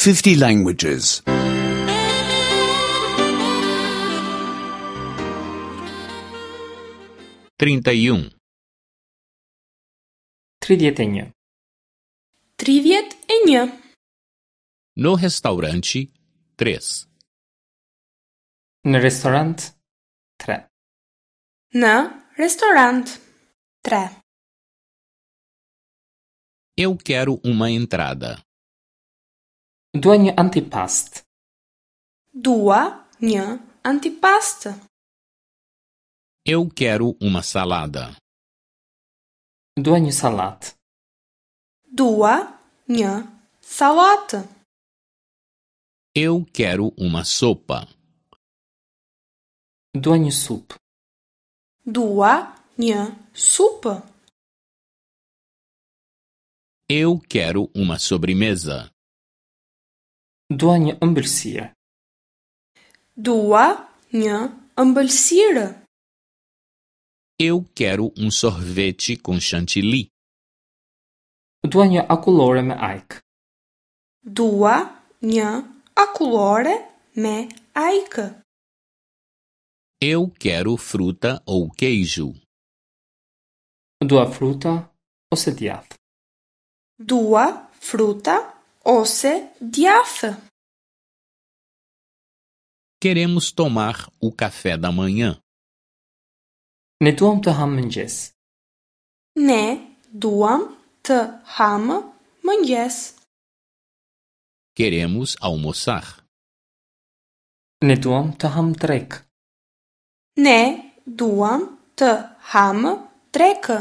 50 languages. 31. 31. 31. No restaurante 3. Në restorant 3. Në restorant 3. Eu quero uma entrada. Dua një antipast. Dua një antipast. Eu quero uma salada. Dua një sallatë. Dua një sallatë. Eu quero uma sopa. Dua një supë. Dua një supë. Eu quero uma sobremesa. Dua një ëmbëlsirë. Dua një ëmbëlsirë. Eu quero um sorvete com chantilly. Dua një akullore me ajkë. Dua një akullore me ajkë. Eu quero fruta ou queijo. Dua fruta ose djathë. Dua fruta ose djathë. Queremos tomar o café da manhã. Ne duam të hamë mëngjes. Ne duam të hamë mëngjes. Queremos almoçar. Ne duam të hamë drekë. Ne duam të hamë drekë.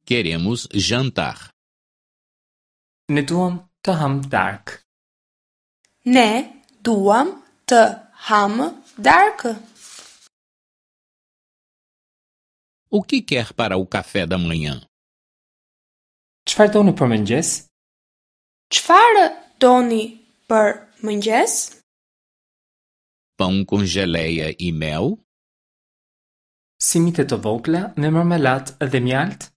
Queremos jantar. Ne duam të hamë darkë. Ne duam të hamë darkë. O que quer para o café da manhã? Çfarë doni për mëngjes? Çfarë doni për mëngjes? Pão com geleia e mel? Simite të vogla me marmelatë dhe mjaltë?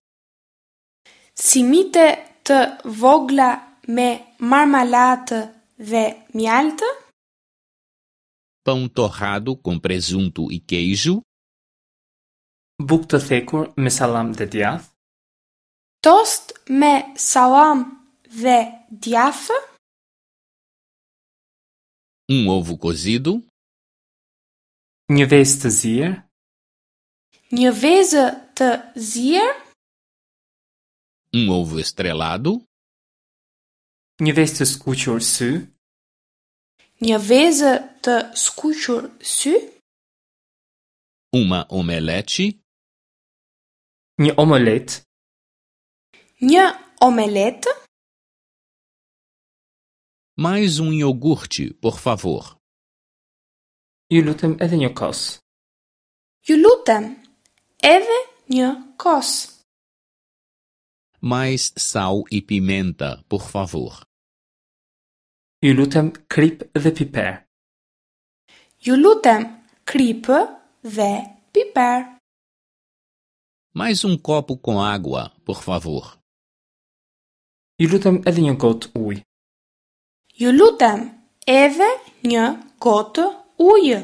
Simite të vogla me marmalatë dhe mjaltë? Pão torrado com presunto e queijo? Bukë të thekur me sallam dhe djathë? Tost me sallam dhe djathë? Um ovo cozido? Një vezë të zier? Një vezë të zier? Um ovo estrelado? Një vezë të skuqur sy? Një vezë të skuqur sy? Uma omelete? Një omolet? Një omeletë? Mais um iogurte, por favor. Ju lutem edhe një kos. Ju lutem, edhe një kos. Mais sal e pimenta, por favor. Ju lutem kripë dhe piper. Ju lutem, kripë dhe piper. Mais um copo com água, por favor. Ju lutem edhe një gotë ujë. Ju lutem, edhe një gotë ujë.